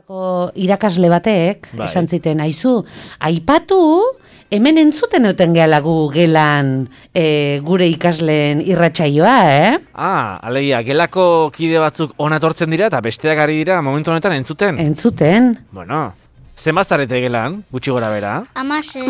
Irakasle batek, Bai. esan ziten, aizu, aipatu, hemen entzuten euten gehala gu gelan gure ikasleen irratsaioa, Alegia, gelako kide batzuk ona etortzen dira eta besteak ari dira momentu honetan entzuten. Entzuten. Bueno, zenbat zarete gelan, gutxi gora bera? 16.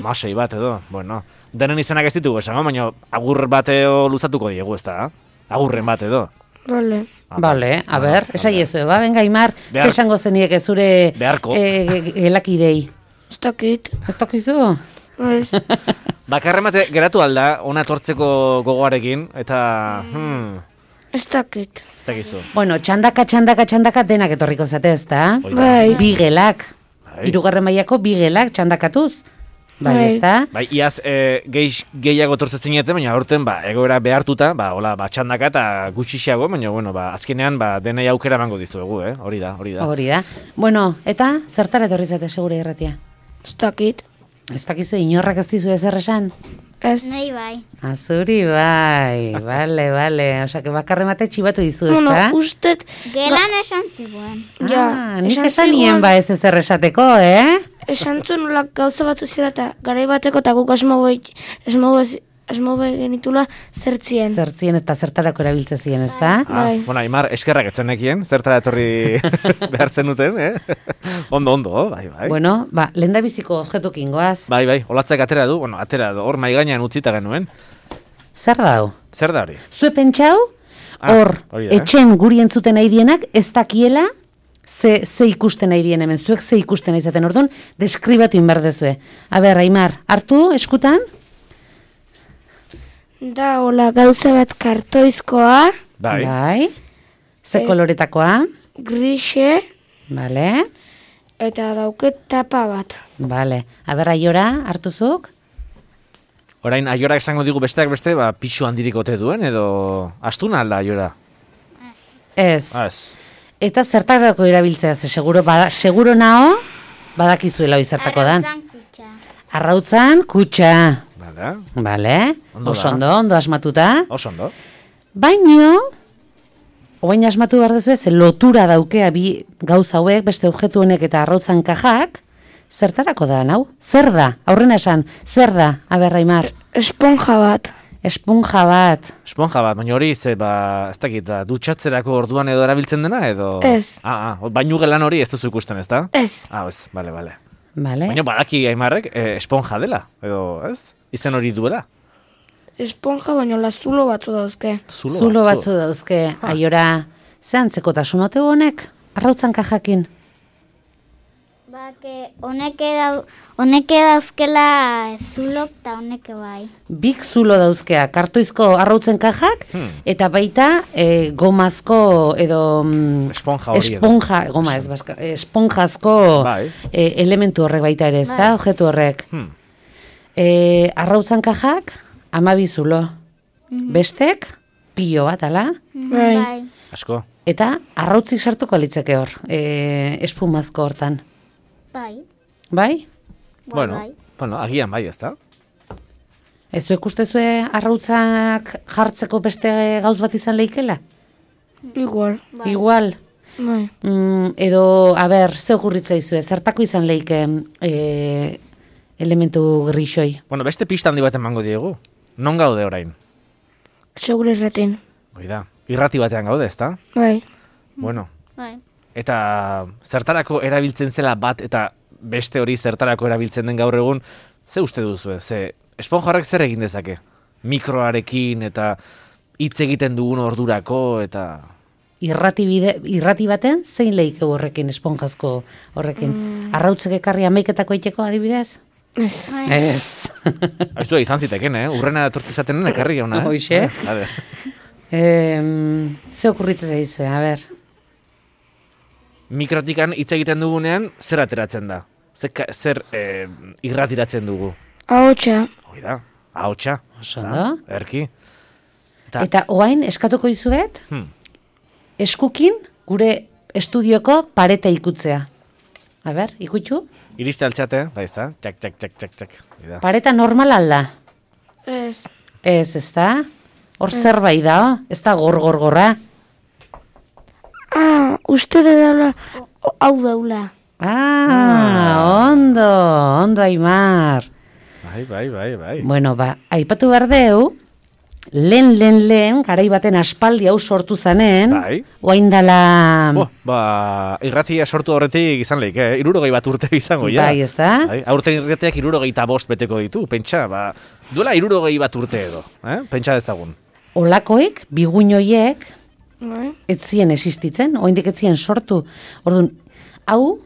16 bat edo, bueno. Denen izenak ez ditugu esango, baina agur bateo luzatuko diegu, ez da? Agurren bat edo. Vale. Vale, a ber, esaiezu, venga, Aimar, Behar- esango zeniek zure Beharko. gelakidei. Ez dakit. Ez tokizu? Ez. Bakarren bate geratu alda, ona etortzeko gogoarekin, eta... Ez dakit. Ez dakizu. Bueno, txandaka denak etorriko zate, ez da? Hoi da. Bai. Bi gelak. Bai. 3. mailako bi gelak txandakatuz. Bai, Bai. ez da? Bai, iaz gehiago tortzetzen zineten, baina aurten egoera behartuta, txandaka eta gutxixiago, baina bueno, azkenean denei aukera emango dizuegu, hori da. Hori da. Bueno, eta zertara etorri zate segure irratia? Ez dakit. Ez dakizu inorrak ez dizu ezer esan? Ez. Nei bai. Azuri bai, bale. Osea, bakarren bate txibatu dizu, ez Bueno, da? ustet... Gelan esan ziguen. Nik esan nien ba ez ezer esateko, Esan zuen nola gauza batzu zira eta garai bateko eta guk asmo genitula zertzien. Zertzien eta zertarako erabiltze ziren, ez da? Bai. Bueno, Aimar, eskerrak etzenekien, zertara etorri behartzen duten, Ondo, bai. Bueno, lehen da biziko objektukin goaz. Bai, olatzak atera du, hor mai gainean utzita genuen. Zer da hau? Zer da hori? Zue pentsau, hor, hori da. etxen guri entzuten nahi dienak, ez dakiela, ze ikusten nahi dien hemen, zuek ze ikusten nahi zaten, orduan, deskribatu inberdezue. A ber, Aimar, hartu, eskutan? Da, hola, gauza bat kartoizkoa, Bai. Ze koloretakoa? grixe, Bale, eta dauket tapa bat. bale. A ber, Aiora, hartuzuk? Orain, Aiorak esango digu besteak beste, pixu handirik ote duen, edo astuna alda Aiora? Ez. Ez. Eta zertarako erabiltzea, ze seguro nao, badakizuela hoi zertako dan. Arrautzan kutxa. Arrautzan, kutxa. Bada, Bale, Ondo oso da. ondo asmatuta. oso ondo. Baino, oain asmatu behar dezu ez, lotura daukea bi gauza hauek, beste objektu honek eta arrautzan kajak, zertarako da, hau? Zer da? Aurrena esan, zer da? Aber, Aimar, Esponja bat. esponja bat. Esponja bat, baina hori, ez dakit, dutxatzerako orduan edo erabiltzen dena, edo... Ez. Bainu gelan hori ez duzu ikusten, ez da? Ez. Ez, bale. Bale? Baina badaki Aimarrek esponja dela, edo, ez? Izen hori duela. Esponja baino lazulo batzu dauzke. Zulo batzu dauzke, Aiora, ze antzekotasun ote honek? Arrautzan kajakin. Honek dauzkela zulok eta honek bai. Bik zulo dauzkea, kartoizko arrautzen kajak, eta baita gomazko edo Esponja hori edo. esponja, goma ez, esponjazko Bai. elementu horrek baita ere, ez da, objektu horrek. Arrautzan kajak, 12 zulo. Bestek, pilo bat, ala? Bai. Asko. Eta arrautzik sartuko litzeke hor, espumazko hortan. Bai. Bai? Bueno, agian bai, ez da? Ez zuek ustezue arrautzak jartzeko beste gauz bat izan leikela? Igual. Igual. Bai. Edo, a ber, ze okurritza izue, zertako izan leike elementu grixoi? Bueno, beste pista handi bat emango diegu. Non gaude orain? Segure irratin. Hoi da, irrati batean gaude, ez da? Bai. Bueno, Bai. eta zertarako erabiltzen zela bat eta beste hori zertarako erabiltzen den gaur egun, ze uste duzu, ze esponja horrek zer egin dezake? Mikroarekin eta hitz egiten dugun ordurako eta... Irrati baten, zein leike horrekin, esponjazko horrekin? Arrautzek ekarri ameiketako eiteko adibidez? Ez. Ez. Aizua izan ziteken, Urrena tortizatenen ekarri jauna, Hoxe. Vale. Ze okurritzen zaizue, a ber. Mikrotikan hitz egiten dugunean, zer ateratzen da? Zer irratiratzen dugu? Ahotsa. Hoi da, ahotsa. Oso ondo. Erki. Eta oain, eskatuko izuet, Hmm. eskukin gure estudioko pareta ikutzea. A ber, ikutxu? Iriste altzeate, bai ez da? Txak. Hoi da. Pareta normal alda? Ez. Ez da? Hor zerbait da, ez da gorgorra. Uste dela hau daula. Ondo, Aimar. Bai. Bueno, aipatu behar deu, lehen, garai baten aspaldi hau sortu zanen, Bai. oain dala... Irratia sortu horretik izan leik, 60 bat urte izango, ja. Bai, ez da? Bai, aurten irratiak 65 beteko ditu, pentsa, duela 60 bat urte edo, pentsa dezagun. Olakoik, biguinoiek, Bai. ez zien existitzen, oindik ez zien sortu. Orduan, hau,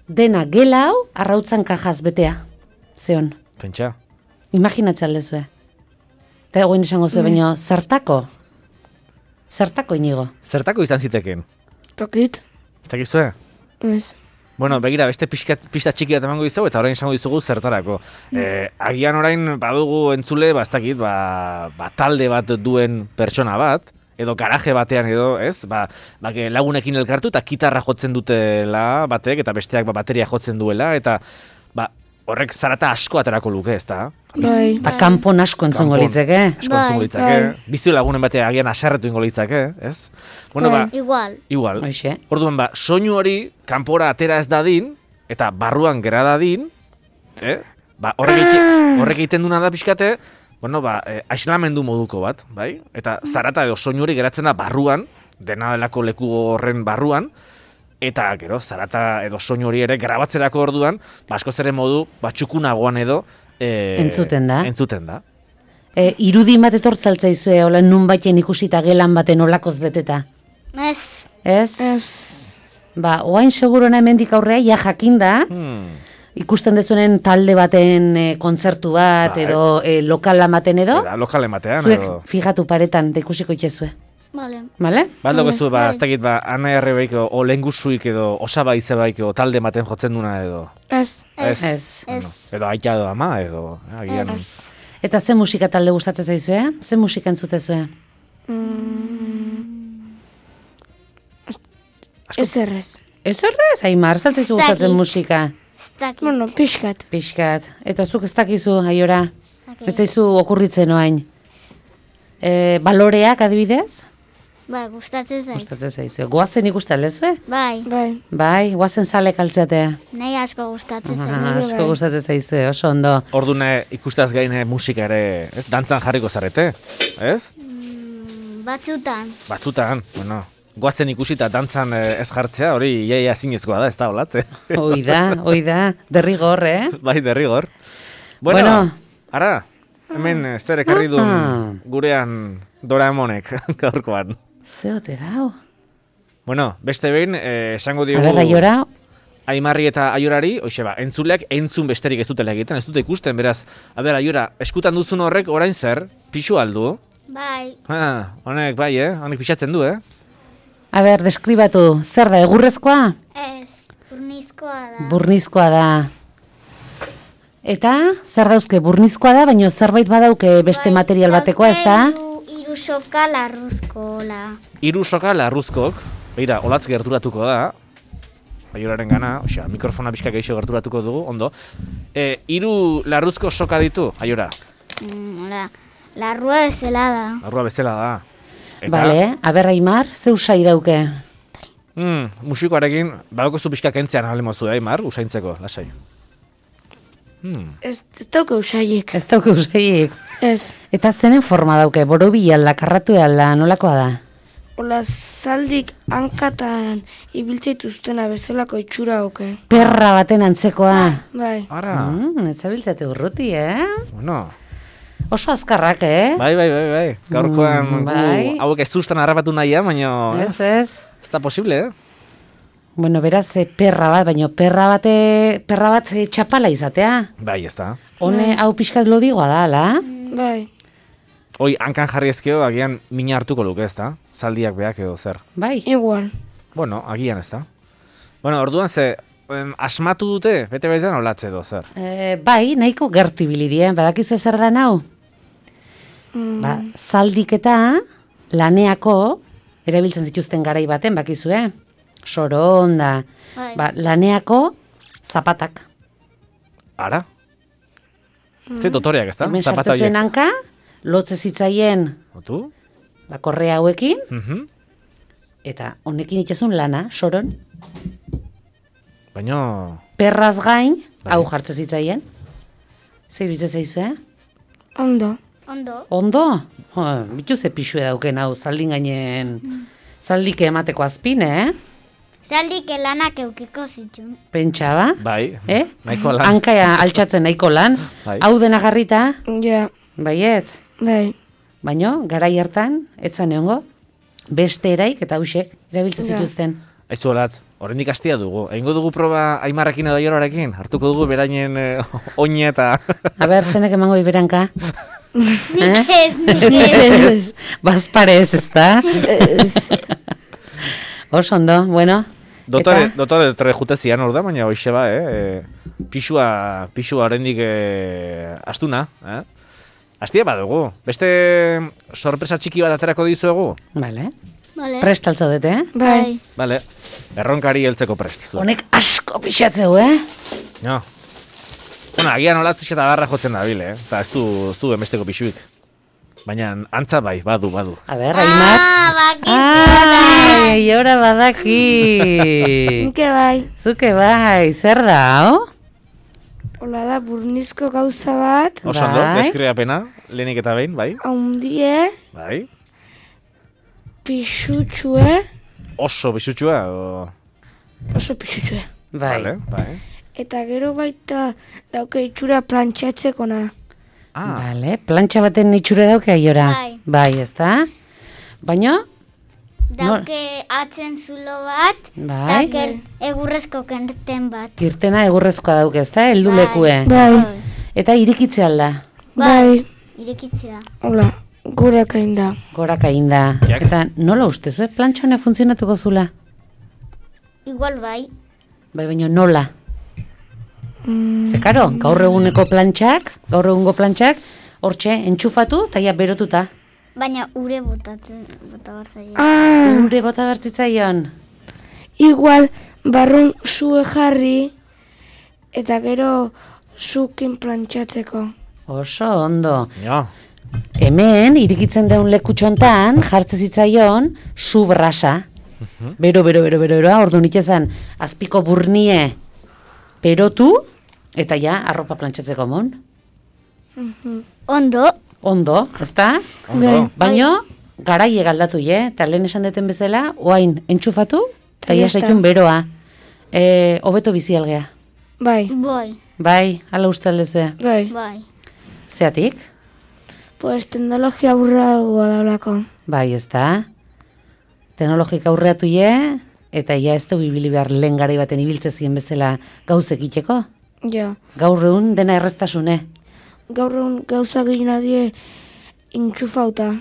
dena gela hau, arrautzan kajaz betea. Zeon, Pentsa. imaginatzea aldezue. Eta egoin esango zuen, baina zertako? Zertako inigo? Zertako izan ziteken? Tokit. Ez dakizue? Ez. Bueno, begira, beste pista txiki bat emango dizugu, eta orain esango dizugu zertarako. Agian orain badugu entzule, ez dakit, talde bat duen pertsona bat, edo garaje batean edo, ez? Lagunekin elkartu eta gitarra jotzen dutela batek, eta besteak bateria jotzen duela, eta horrek zarata asko aterako luke, ez da? Bai. Eta kanpon asko entzungo Kanpon. litzeke. Asko Bai, entzungo litzake. Bizio lagunen batean agian aserretu ingo litzake, ez? Bueno, Bai. Igual. Hoxe. Orduan, soinu hori kanpora atera ez dadin, eta barruan gera dadin, horrek egiten duna da pixkate, aislamendu moduko bat, bai? Eta zarata edo soinu hori geratzen da barruan, dena delako leku horren barruan, eta gero, zarata edo soinu hori ere grabatzerako orduan, askoz ere modu, txukunagoan edo, Entzuten da. Entzuten da. Irudi bat etortzaltzaizue, hola nun baiten ikusita gelan baten olakoz beteta. Ez. Ez? Ez. Oain segurona hemendik aurrea, ja jakinda, ikusten dezunen talde baten kontzertu bat, Bai. edo lokal ematen edo, Eta lokal ematean, zuek edo... fijatu paretan, da ikusiko itxezue. Vale. Bale? Baldo gezu, ez dakit, Ana Errebeik, o lengusuik edo, osaba izebaik, o talde ematen jotzen duna edo... Ez. Ez. Bueno, edo aita edo ama, edo... Agian... Eta ze musika talde gustatzen zaizue? Ze musika entzutezue? Ez errez. Ez horrez, Aimar, zaltzizu gustatzen dakit. musika. Ez dakit. Bueno, pixkat. Pixkat. Eta zuk ez dakizu, Aiora? Zakit. Ez zaizu okurritzen oain. Baloreak adibidez? Bai, gustatzen zait. Gustatzen zaizue. Goazen ikusten lezue? Bai, Bai. Bai, goazen sale kaltzatea. nahi asko gustatzen zait. Asko gustatzen zaizue, oso ondo. Ordune ikustaz gaine musika ere, ez? Dantzan jarriko zarete, ez? Batzutan. Batzutan, bueno, goazen ikusita dantzan ez jartzea, hori iaia zinezkoa da, ez da olatze. Hoi da, derrigor, Bai, derrigor. Bueno, ara, hemen ez ekarri duen gurean Doraemonek gaurkoan. Zeote dau. Bueno, beste behin, esango A diogu... ber, Aiora, Aimarri eta Aiorari, entzuleak entzun besterik ez dutela egiten, ez dute ikusten, beraz, Aiora, eskutan duzun horrek orain zer, pixu aldu? Bai, Honek bai, honek pixatzen du, a ber, deskribatu, zer da, egurrezkoa? ez. Burnizkoa da. Burnizkoa da. Eta, zer dauzke, burnizkoa da, baina zerbait badauke beste Bai, material batekoa, ez da? Hiru soka larruzkola. Hiru soka larruzkok, begira, olatz gerturatuko da, Aioraren gana, mikrofona pixka geixo gerturatuko dugu, ondo. Hiru larruzko soka ditu, Aiora, Hola, larrua bezala da. larrua bezala da. Bale, a ber, Aimar, zeu sai dauke? Musikoarekin, badokoztu pixka kentzean alemozu, Aimar, usaintzeko, lasai. Ez dauke usaiek. Ez dauke usaiek. Ez. Eta zenen forma dauke, borobila alda, karratu alda, nolakoa da? Ola zaldik hankatan ibiltzeituztena bezalako itxura oke. Perra baten antzekoa. Bai. Ara, Ez zabiltzate urruti, bueno, Oso azkarrak, bai, gaurkoan bai. hauek ez duzten harrapatu nahia, baina Ez. ez da posible, Bueno, beraz, perra bat, baina perra bat txapala izatea. Bai, ez da. Hone, hau pixkat lodigoa da, ala? Bai. Hoi, hankan jarri ezkeo, agian mina hartuko luke, ez da? Zaldiak beak edo zer. Bai. Igual. Bueno, agian ez da. Bueno, orduan ze, asmatu dute, bete-betean olatze edo zer. Bai, nahiko gertu ibilidien, badakizu zer da nau? Zaldik eta laneako, erabiltzen zituzten garai baten, bakizue? Soron da, Bai. laneako zapatak. Ara? Ze dotoreak, ez da? Hemen Zapata sartzen zuen horiek. hanka, lotze zitzaien Otu? korrea hauekin, Mhm. eta honekin itxezun lana, soron. Baina... Perraz gain, Bai. hau jartze zitzaien. Zer iruditzen zaizu, Ondo. Ondo. Ondo? Bitu ze pixue dauken hau, zaldin gainen, zaldike emateko azpin, Zaldik lanak eukiko zitun. Pentsa ba? Bai, Eh? nahiko lan. Hankaia altxatzen nahiko lan. Bai. Hau dena garrita, Ja, baietz. bai. Baino, garai hartan, etzan egongo, beste eraik eta hausek erabiltzen Ja. zituzten. Aizu olatz, horrendik astia dugu. Egingo dugu proba Aimarrekin edo Aiororekin? Hartuko dugu berainen oine eta... A ber, zenek emango iberanka? Nik ez. Bazparez, ezta? Oso ondo, bueno. Dotore jute zian hor da, baina hoxe ba, pixua horrendik astuna, Astia badugu. Beste sorpresa txiki bat aterako dizuegu? Vale. Vale. Prest altzaudete, Bai. Vale, erronkari heltzeko prest. zu. Honek asko pixatzeu, No. Bueno, agian olatz eta barra jotzen dabil, Eta ez du emesteko pixuik. Baina antza bai, badu. A ber, Aimar. Ai, ora badaki. Nike bai. Zuke bai, zer da, ho? Hola da, burnizko gauza bat. Oso ondo, Bai. deskriapena, lehenik eta behin, bai? Haundie, Bai. pixutxue. Oso bisutsua, Oso pixutxue. Bai. Vale, bai. Eta gero baita dauke itxura plantxatzeko na. Ah, Vale, plantxa baten itxure dauke aiora. Bai. Bai, ezta? Baina, Dauke atzen zulo bat, Bai. eta egurrezko kerten bat. kirtena egurrezkoa dauke, ezta? Heldu lekue. Bai. Eta irikitze alda. Bai. Irekitzea. Hola, gure kain da. Goraka inda. Jak. Eta nola ustezu, plantxa honek funtzionatuko zula? Igual bai. Bai, baina nola? Ze karo, gaur egungo plantxak, hortxe, entxufatu, eta ja berotuta. Baina ure bota behar zaio. Ure bota bertzitzaion. Igual, barrun sue jarri, eta gero zukin plantxatzeko. Oso ondo. jo. Hemen, irikitzen daun lekutxontan, jartze zitzaion, su brasa. Bero, ordu nik ezan, azpiko burnie perotu, eta ja, arropa plantxatzeko mon. Ondo. Ondo, ezta? Ondo. Baino, garaie galdatu, eta lehen esan deten bezala, oain, entxufatu, eta Ja ja está. zaitun beroa. Hobeto bizi algea. Bai, Bai. Bai, ala uste aldezue. bai. Bai. Zeatik? Pues teknologia burragoa daulako. Bai, ezta? Teknologika aurreatu eta ja ez dugu ibili behar lehen garai baten ibiltze zien bezala gauzek egiteko. Ja. Gaur egun dena erreztasune. Gaur egun gauza gehien die intxufauta.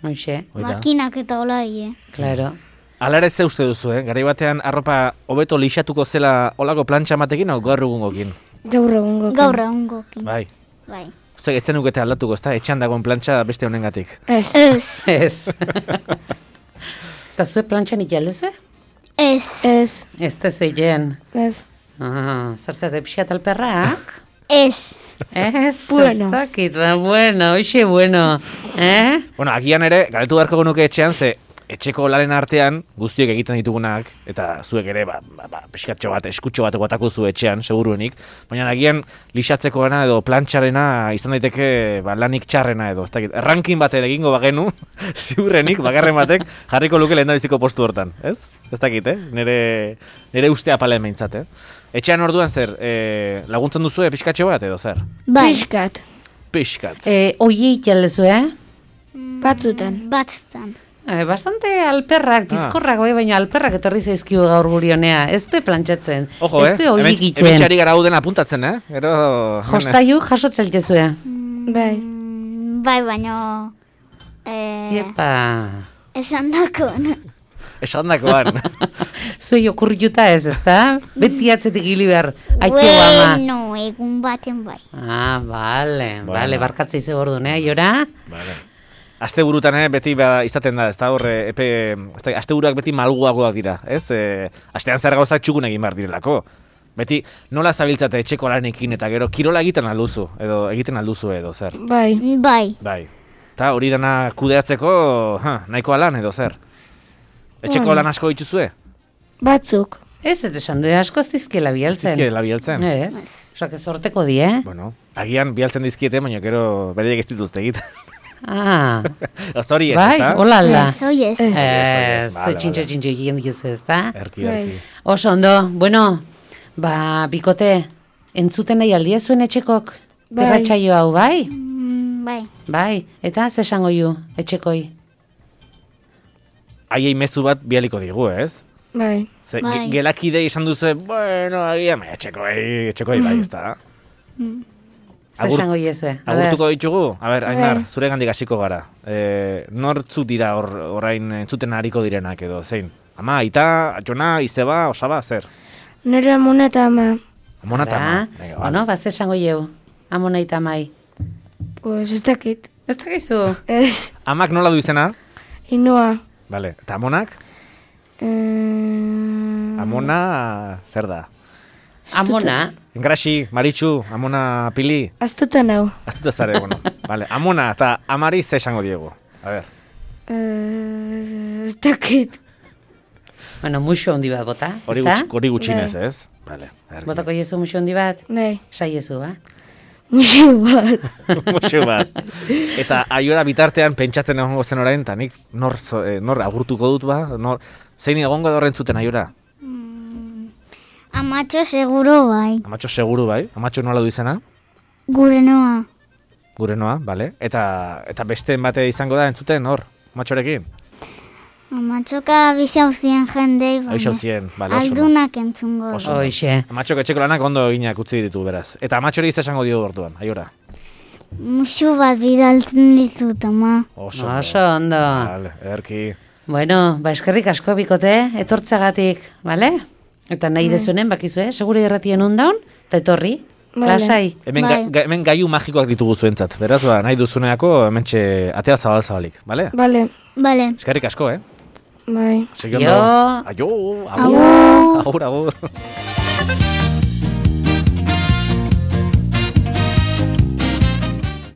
Hoxe, Oida. Makinak eta hola die. claro. Ala ere ze uste duzu, Garai batean arropa hobeto lixatuko zela olako plantxa matekin, o gaur egungokin? Gaur egun Gaur egungokin. Bai. Bai. Uste etzen ukete aldatuko, ezta? Etxean dagoen plantxa beste honengatik. Ez. Ez. Ez. Eta zue plantxan ikalezue? Ez. Ez. Ez da zueien. Ez. Zer zate pixat alperrak? Ez. Ez, Bueno. ez dakit, bueno, hoxe bueno. Bueno, agian ere, galdetu beharko genuke etxean, ze etxeko laren artean guztiek egiten ditugunak, eta zuek ere, pixkatxo bat, eskutxo bat egotako zu etxean, seguruenik, baina agian lixatzeko gana edo plantxarena izan daiteke lanik txarrena edo, ez dakit, errankin bat ere egingo bagenu, ziurrenik, bakarren batek, jarriko luke lehendabiziko postu hortan, ez? Ez dakit, nire ustea pala emeintzat, Etxean orduan zer, laguntzen duzu pixkatxo bat edo zer? Bai. Piskat. Pixkat. Oie ikalezue, Batzutan. Batztan. Bastante alperrak, bizkorrak, baina alperrak etorri zaizkigu gaur guri honea. Ez du plantxatzen. Ojo, ez du oie egiten. hemen txari gara hauden apuntatzen, Gero... Jostaiu jasotzen jezue. Bai. Bai, baino... Iepa. Esan dakon. Esan dakoan. Zuei okurriuta ez, ezta? Beti atzetik hili behar. Aitxo ama. Bueno, egun baten bai. Bale, Bueno. barkatza ize gordun, Jora? Vale. Aste burutan beti izaten da, ez da horre, aste buruak beti malguagoak dira, ez? Astean zer gauzak txukun egin behar direlako. Beti nola zabiltzate etxeko lanekin eta gero kirola egiten alduzu, edo zer. Bai. Bai. Bai. Eta hori dana kudeatzeko, nahikoa lan edo zer. Etxeko Bueno. lan asko dituzue? Batzuk. Ez esan du asko zizkiela bialtzen. Zizkiela bialtzen. Ez, osak ez horteko di, Bueno, agian bialtzen dizkiete, baina gero bereiek ez dituzte egiten. Ah, Hori ez, bai, ezta? hola alda. Ez, oi ez. Ez, vale, txintxo egiten dituzu, ez da? Erki, erki. Oso ondo, bueno, bikote, entzuten nahi aldia zuen etxekok Bai. irratsaio hau, bai? Bai. Bai, eta ze esango ju, etxekoi? Haiei mezu bat bialiko digu, ez? Bai. Ze, Bai. gelakidei esan duzu, bueno, agian, etxekoi bai, ez da? Ze esango iezue? Agurtuko ditugu? A ber, Ainar, Bai. zure gandik hasiko gara. Nortzu dira orain entzuten hariko direnak edo, zein? Ama, aita, jona, izeba, osaba, zer? Nire amona eta ama. Amona eta ama. Venga, bueno, ze esango ieu, amona eta mai. Pues ez dakit. Ez dakizu? Ez. Amak nola du izena? Inoa. Vale, eta amonak? Amona, zer da? Amona, Engraxi, Maritxu, amona pili? Aztuta nau. Aztuta zare, bueno. Vale, amona eta amari ze esango diegu. A ber. Ez dakit. bueno, muxo handi bat bota, Hori ezta? hori gutxinez, ez? Vale. Botako iezu muxo handi bat? Bai. Saiezu, ba? Muxu bat. Muxu bat. Eta aiora bitartean pentsatzen egongo zen orain, eta nik nor agurtuko dut ba? Zein egongo da horren zuten aiora? Amatxo seguro bai. Amatxo seguru bai? Amatxo nola du izena? Gure noa. Gure noa, bale? Eta besteen bate izango da entzuten hor? Amatxorekin? Amatxoka bisauzien jendei, Abisauzien, bale, oso ondo. aldunak entzungo. Oso. Hoixe. Amatxok etxeko lanak ondo eginak utzi ditu beraz. Eta amatxori ez esango dio orduan, aiora? Musu bat bidaltzen dizut, ama. Oso ondo. Vale, erki. Bueno, eskerrik asko bikote, etortzagatik, bale? Eta nahi dezunen, bakizu, segure irratien undaun, eta etorri, Vale. lasai. Hemen gaiu magikoak ditugu zuentzat. Beraz, nahi duzuneako hementxe atea zabal-zabalik, bale? Bale. Bale. Eskerrik asko, Bai. Segi Jo. ondo. Aio, agur. Agur. Agur, agur.